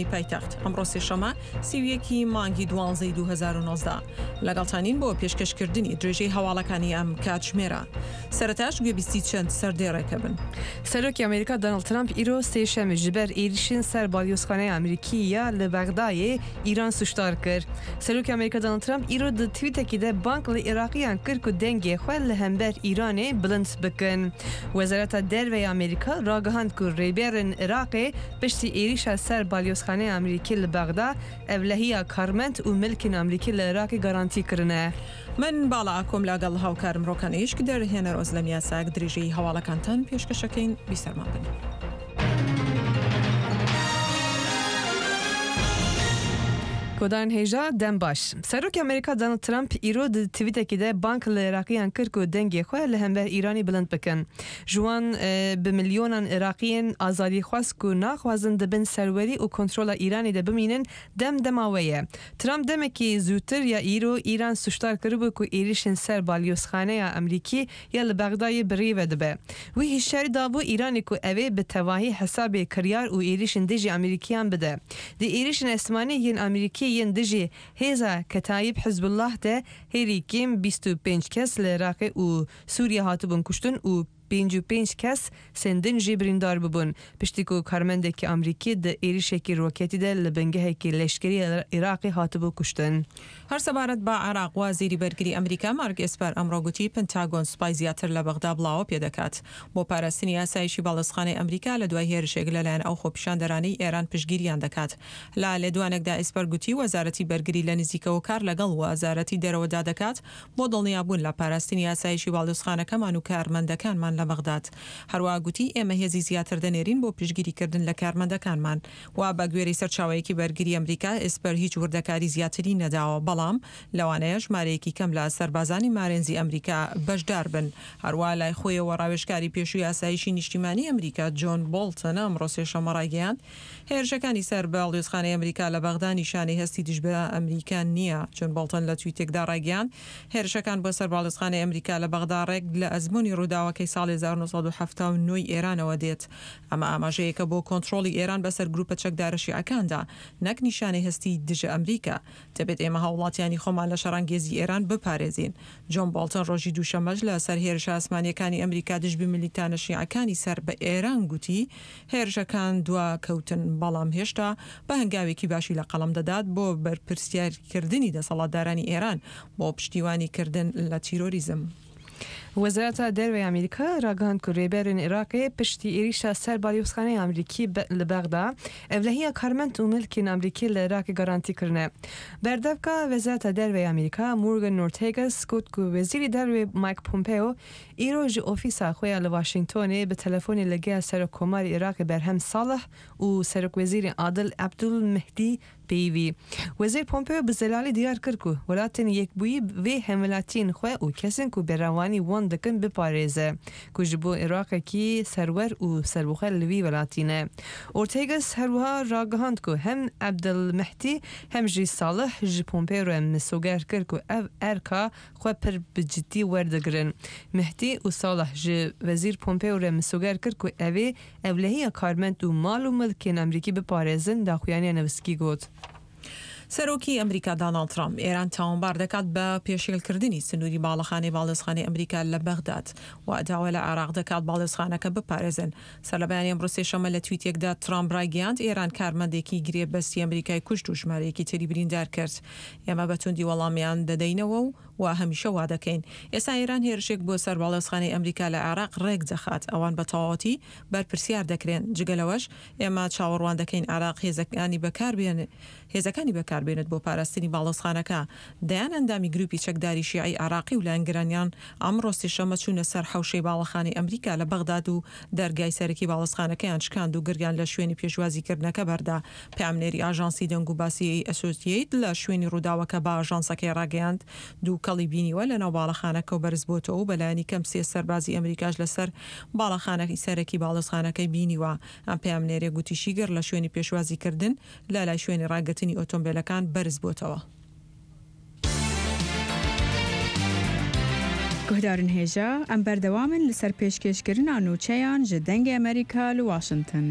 پایتەخت، ئەمڕۆ سێشەممە 31 ی مانگی دوانزەی 2019 لەگەڵتانین بۆ پێشکەشکردنی درێژەی هەواڵەکانی ئەم کاتژمێرە. سەرەتاش گوێبیستی چەند سەردێڕێکە بن. سەرۆکی ئەمریکا دۆناڵد ترەمپ ئیرۆ سێشەممە ji ber êrîşên ser balyozxaneya Amerîkî ya li Bexdayê Îran sûcdar kir. Serokê Amerîka Donald Trump îro di twîtekî de bang li Iraqiyan kir ku dengê xwe li hember Îranê bilind bikin. Wezareta Derve ya Amerîka ragihand ku rêberên Iraqê piştî êrîşa ser balyozxaneya Amerîkî li Bexda ewlehiya karmend û milkên Amerîkî li Iraqê garantî kirine. من باڵا ئاکۆم لاگەڵ هاوکارم ڕۆکان ئیشک دەرهێنەر ئۆزلەم یاساک درێژەی هەواڵەکانتان پێشکەشەکەین بیسەرمان بن. Godan hêja dem baş. Serokê Amerîka Donald Trump îro di twîtekî de bang li Iraqiyan kir ku dengê xwe li hember Îranê bilind bikin. Ji wan bi milyonan Iraqiyên azadîxwaz ku naxwazin di bin serwerî û kontrola Îranê de bimînin dem dema we ye. Trump demekî zûtir ya îro Îran sûcdar kiribû ku êrîşên ser balyozxaneya Amerîkî ya li Bexdayê bi rê ve dibe. Wî hişyarî dabû Îranê ku ew ê bi tevahî hesabê kiryar û êrîşên dijî Amerîkiyan bide. Di êrîşên esmanî yên Amerîkî yên dijî hêza Ketayîb Hizbullah de herî kêm 25 kes li Iraqê û Sûriyê hatibûn kuştin û 55 kes sên din jî birîndar bûbûn. Piştî ku karmendekî Amerîkî di êrîşekî roketî de li bingehekî leşkerî Iraqê hatibû kuştin. هەر سەبارەت بە عێراق، وەزیری بەرگری ئەمریکا مارک ئێسپەر ئەمڕۆ گوتی پنتاگۆن سوپای زیاتر لە بەغدا بڵاوە پێدەکات بۆ پاراستنی ئاسایشی باڵیۆزخانەی ئەمریکا لە دوای هێرشێک لەلایەن ئەو خۆپیشاندەرانەی ئێران پشتگیریان دەکات. لە لێدوانێکدا ئێسپەر گوتی وەزارەتی بەرگری لە نزیکەوە کار لەگەڵ وەزارەتی دەرەوەدا دەکات بۆ دڵنیابوون لە پاراستنی ئاسایشی باڵیۆزخانەکەمان و کارمەندەکانمان لە بەغداد. هەروەها گوتی ئێمە هێزی زیاتر دەنێرین بۆ پشتگیریکردن لە کارمەندەکانمان. و بە گوێرەی سەرچاوەیەکی بەرگری ئەمریکا، ئێسپەر هیچ وردەکاری زیاتری نەداوە، بەڵام لەوانەیە ژمارەیەکی کەم لە سەربازانی مارێنزی ئەمریکا بەشدار بن. هەروا لای خۆیەوە ڕاوێژکاری پێشووی ئاسایشی نیشتیمانی ئەمریکا جۆن بۆڵتن ئەمڕۆ سێشەممە ڕایگەیاند، هێرشەکانی سەر باڵیۆزخانەی ئەمریکا لە بەغدا نیشانەی هەستی دژ بە ئەمریکا نییە. جۆن بۆڵتن لە تویتێکدا ڕایگەیاند، هێرشەکان بۆ سەر باڵیۆزخانەی ئەمریکا لە بەغدا ڕێک لە ئەزموونی ڕووداوەکەی ساڵی 1979 ی ئێرانەوە دێت. ئەمە ئاماژەیەکە بۆ کۆنترۆڵی ئێران بەسەر گروپە چەکدارە شیعەکاندا، نەک نیشانەی هەستی دژە ئەمریکا. دەبێت ئێمە هاووڵاتیانی خۆمان لە شەڕانگێزی ئێران بپارێزین. جۆن بۆڵتن ڕۆژی دووشەممەش لە سەر هێرشە ئاسمانییەکانی ئەمریکا دژ بە میلیتانە شیعەکانی سەر بە ئێران گوتی، هێرشەکان دوا کەوتن، بەڵام هێشتا بە هەنگاوێکی باشی لە قەڵەم دەدات بۆ بەرپرسیارکردنی دەسەڵاتدارانی ئێران بۆ پشتیوانی کردن لە تیرۆریزم. Wezareta Derve ya Amerîka ragihand ku rêberên Iraqê piştî êrîşa ser balyozxaneya Amerîkî li Bexda, ewlehiya karmend û milkên Amerîkî li Iraqê garantî kirine. Berdevka Wezareta Derve ya Amerîka Morgan Ortagus got ku Wezîrê Derve Mike Pompeo îro ji ofîsa xwe ya li Washingtonê bi telefonê li gel Serokkomarê Iraqê Berhem Salih û Serokwezîrê Adil Ebdul Mehdî Peyivî. Wezîr Pompeo bi zelalî diyar kir ku welatên yekbûyî vê hemwelatiyên xwe û kesên ku berevanî wan dikin biparêze ku ji bo Iraqekî serwer û serbixwe li vî welatî ne. Ortagus her wiha ragihand ku hem Ebdulmehdî hem jî Salih ji Pompeo re misoger kir ku ev erka xwe pir bi cidî werdigirin. Mehdî û Salih ji Wezîr Pompeo re misoger kir ku ev ê Ewlehiya karmend û mal û milkên Amerîkî biparêzin, daxuyaniya Newskî got. سەرۆکی ئەمریکا داناڵد ترامپ ئێران تاوانبار دەکات بە پێشێلکردنی سنووری باڵەخانەی باڵیۆزخانەی ئەمریکا لە بەغداد و داوا لە عێراق دەکات باڵیۆزخانەکە بپارێزن. سەرلەبەیانی ئەمڕۆ سێشەممە لە تویتێکدا ترامپ ڕایگەیاند ئێران کارمەندێکی گرێبەستی ئەمریکای کوشت و ژمارەیەکی تری بریندار کرد. ئێمە بە توندی وەڵامیان دەدەینەوە و و هەمیشە وا دەکەین. ئێستا ئێران هێرشێک بۆ سەر باڵیۆزخانەی ئەمریکا لە عێراق ڕێک دەخات، ئەوان بە تەواوەتی بەرپرسیار دەکرێن. جگە لەوەش ئێمە چاوەڕوان دەکەین عێراق هێزەکانی بەکار هێزەکانی بەکار بێنێت بۆ پاراستنی باڵیۆزخانەکە. دەیان ئەندامی گروپی چەکداری شیعەی عێراقی و لایەنگرانیان ئەمڕۆ سێشەممە چوونە سەر حەوشەی باڵەخانەی ئەمریکا لە بەغداد و دەرگای سەرەکی باڵیۆزخانەکەیان شکاند و گڕیان لە شوێنی پێشوازیکردنەکە بەردا. پەیامنێری ئاژانسی دەنگوباسی ئەسۆسیەیت لە شوێنی ڕووداوەکە بە ئاژانسەکەی ڕاگەیاند، دووکەڵی بینیوە لەناو باڵەخانەکەو بەرزبووەتەوە و بەلایەنی کەم سێ سەربازی ئەمریکاش لەسەر باڵەخانەی سەرەکی باڵیۆزخانەکەی بینیوە. ئەم پەیامنێرە گوتیشی گڕ لە شوێنی پێشوازیکردن لە لای شوێنی ڕاگرتنی ئۆتۆمبێلەکان بەرزبووەتەوە. Guhdarên hêja, em berdewam in li ser pêşkêşkirina nûçeyan ji Dengê Amerîka li Washington.